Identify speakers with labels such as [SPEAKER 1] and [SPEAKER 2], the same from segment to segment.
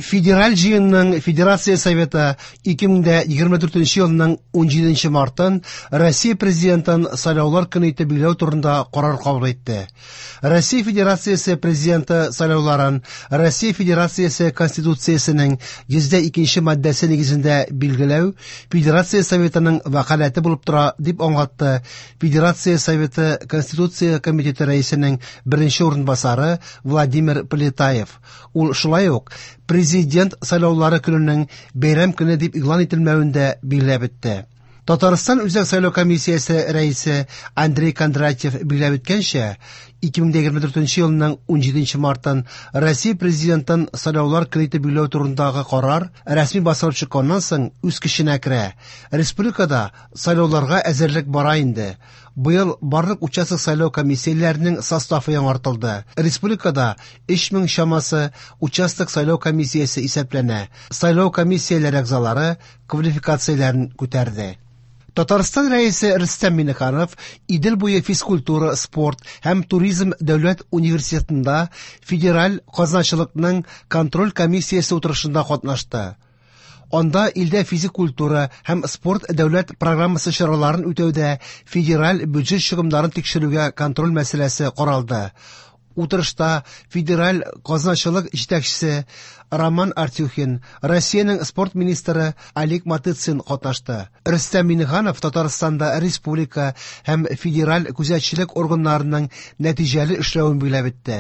[SPEAKER 1] Федераль җыенның Федерация Советы 2024 елның 17 мартын Россия Президентын сайлаулар көне итеп билгеләү турында карар кабул итте. Россия Федерациясе Президенты сайлауларын Россия Федерациясе Конституциясенең 102 маддәсе нигезендә билгеләү Федерация Советының вәкаләте булып тора, дип аңлатты Федерация Советы Конституция комитеты рәисенең беренче урынбасары Владимир Полетаев. Ул шулай ук Президент сайлаулары көненең бәйрәм көне дип игълан ителмәвен дә билгеләп үтте. Татарстан Үзәк сайлау комиссиясе рәисе Андрей Кондратьев билгеләп үткәнчә, 2024 елның 17 мартын Россия Президентын сайлаулар көне итеп билгеләү турындагы карар рәсми басылып чыкканнан соң үз көченә керә. Республикада сайлауларга әзерлек бара инде. Быел барлык участок сайлау комиссияләренең составы яңартылды. Республикада 3000 чамасы участок сайлау комиссиясе исәпләнә. Сайлау комиссияләре әгъзалары квалификацияләрен күтәрде. Татарстан Рәисе Рөстәм Миңнеханов Идел буе физкультура, спорт һәм туризм дәүләт университетында Федераль казначылыкның контроль комиссиясе утырышында катнашты. Анда илдә физик культура һәм спорт дәүләт программасы чараларын үтәүдә федераль бюджет чыгымнарын тикшерүгә контроль мәсьәләсе каралды. Утырышта федераль казначылык җитәкчесе Роман Артюхин, Россиянең спорт министры Олег Матыцин катнашты. Рөстәм Миңнеханов Татарстанда республика һәм федераль күзәтчелек органнарының нәтиҗәле эшләвен билгеләп үтте.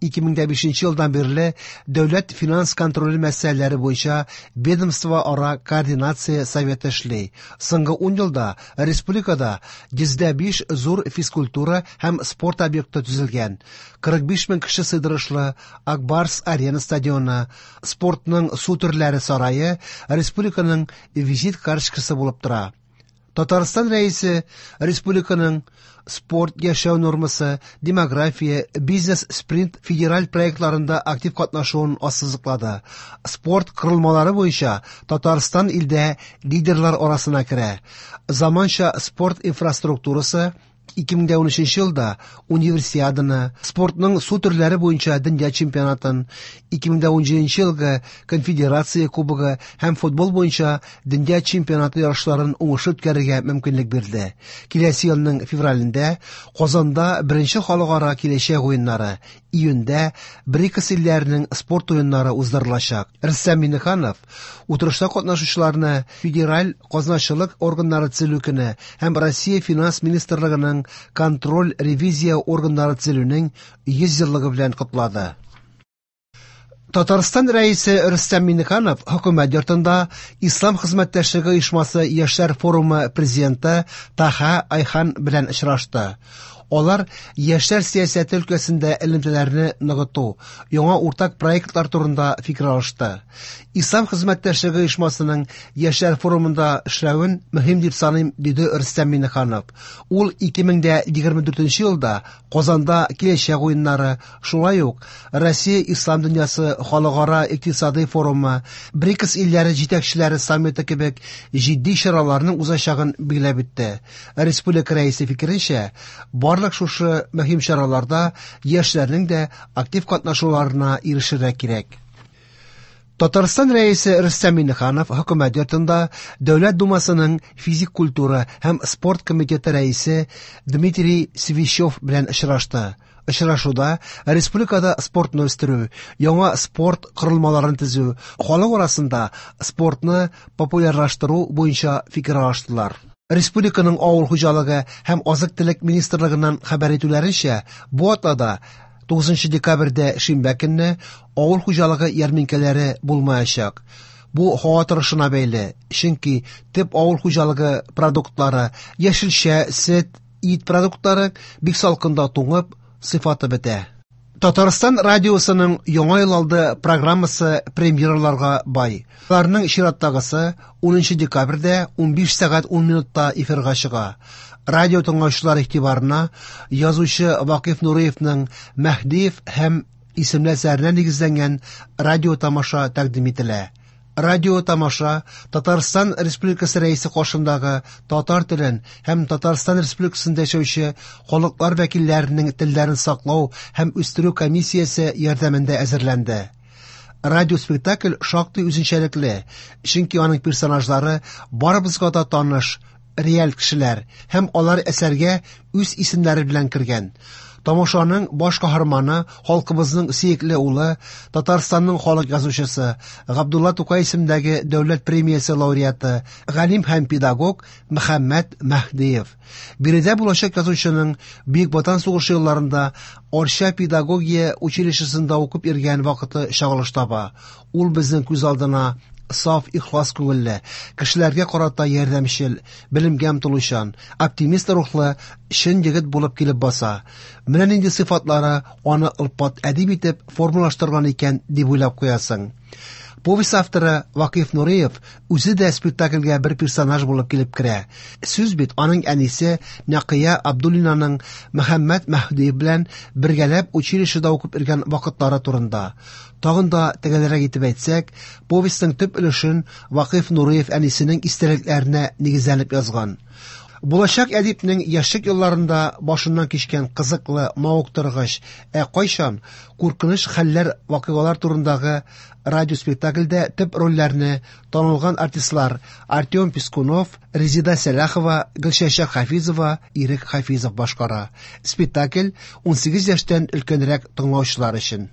[SPEAKER 1] 2005 елдан бирле дәүләт финанс контроле мәсьәләләре буенча ведомство-ара координация советы эшли. Соңгы 10 елда республикада 105 зур физкультура һәм спорт объекты төзелгән. 45 мең кеше сыйдырышлы Ак Барс Арена стадионы, спортның су төрләре сарае республиканың визит карточкасы булып тора. Татарстан Рәисе республиканың спорт яшәү нормасы, демография, бизнес-спринт федераль проектларында актив катнашуын ассызыклады. Спорт корылмалары буенча Татарстан илдә лидерлар арасына керә. Заманча спорт инфраструктурасы 2013 елда Универсиаданы, спортның су төрләре буенча дөнья чемпионатын, 2017 елгы Конфедерация кубогы һәм футбол буенча дөнья чемпионаты ярышларын уңышлы үткәрергә мөмкинлек бирде. Киләсе елның февралендә Казанда беренче халыкара киләчәк уеннары, июньдә БРИКС илләренең спорт уеннары уздырылачак. Рөстәм Миңнеханов утырышта катнашучыларны Федераль казначылык органнары төзелү көне һәм Россия Финанс министрлыгының контроль ревизия органнары төзелүнең 100 еллыгы белән котлады. Татарстан Рәисе Рөстәм Миңнеханов хөкүмәт йортында Ислам хезмәттәшлеге оешмасы яшьләр форумы президенты Таха Айхан белән очрашты. Алар яшьләр сәясәте өлкәсендә элемтәләрне ныгыту, яңа уртак проектлар турында фикер алышты. Ислам хезмәттәшлеге оешмасының яшьләр форумында эшләвен мөһим дип саныйм, диде Рөстәм Миңнеханов. Ул 2024 елда Казанда киләчәк уеннары, шулай ук Россия Ислам дөньясы халыкара икътисадый форумы, БРИКС илләре җитәкчеләре саммиты кебек җитди чараларның узачагын билгеләп үтте. Республика рәисе фикеренчә, барлык шушы мөһим чараларда яшьләрнең дә актив катнашуларына ирешергә кирәк. Татарстан Рәисе Рөстәм Миңнеханов хөкүмәт йортында Дәүләт Думасының физик культура һәм спорт комитеты рәисе Дмитрий Свищев белән очрашты. Очрашуда республикада спортны үстерү, яңа спорт корылмаларын төзү, халык арасында спортны популярлаштыру буенча фикер алыштылар. Республиканың авыл хуҗалыгы һәм азык-төлек министрлыгыннан хәбәр итүләренчә, бу атнада 9 декабрьдә шимбә көнне авыл хуҗалыгы ярминкәләре булмаячак. Бу һава торышына бәйле, чөнки төп авыл хуҗалыгы продуктлары, яшелчә, сөт, ит продуктлары бик салкында туңып, сыйфаты бетә. Татарстан радиосының Яңа ел алды программасы премьераларга бай. Аларның чираттагысы 10 декабрьдә 15 сәгать 10 минутта эфирга чыга. Радио тыңлаучылар игътибарына язучы Вакыйф Нуриевның Мәһдиев һәм исемле әсәренә нигезләнгән радио тамаша тәкъдим ителә. Радио тамаша Татарстан Республикасы Рәисе каршындагы татар телен һәм Татарстан Республикасында яшәүче халыклар вәкилләренең телләрен саклау һәм үстерү комиссиясе ярдәмендә әзерләнде. Радиоспектакль шактый үзенчәлекле, чөнки аның персонажлары барыбызга да таныш, реаль кешеләр һәм алар әсәргә үз исемнәре белән кергән. Тамашаның баш каһарманы халкыбызның сөекле улы, Татарстанның халык язучысы, Габдулла Тукай исемендәге дәүләт премиясе лауреаты, галим һәм педагог Мөхәммәт Мәһдиев. Биредә булачак язучының Бөек Ватан сугышы елларында Арча педагогия училищесында укып йөргән вакыты чагылыш таба. Ул безнең күз алдына саф, ихлас күңелле, кешеләргә карата ярдәмчел, белемгә омтылучан, оптимист рухлы чын егет булып килеп баса. Менә нинди сыйфатлары аны олпат әдип итеп формалаштырган икән дип уйлап куясың. Повесть авторы Вакыйф Нуриев үзе дә спектакльгә бер персонаж булып килеп керә. Сүз бит аның әнисе Нәкыя Абдуллинаның Мөхәммәт Мәһдиев белән бергәләп училищеда укып йөргән вакытлары турында. Тагын да төгәлрәк итеп әйтсәк, повестьның төп өлешен Вакыйф Нуриев әнисенең истәлекләренә нигезләнеп язган. Булачак әдипнең яшьлек елларында башыннан кичкән кызыклы, мавыктыргыч, ә кайчан куркыныч хәлләр, вакыйгалар турындагы радиоспектакльдә төп рольләрне танылган артистлар Артем Пискунов, Резеда Сәлахова, Гөлчәчәк Хафизова, Ирек Хафизов башкара. Спектакль 18 яшьтән өлкәнрәк тыңлаучылар өчен.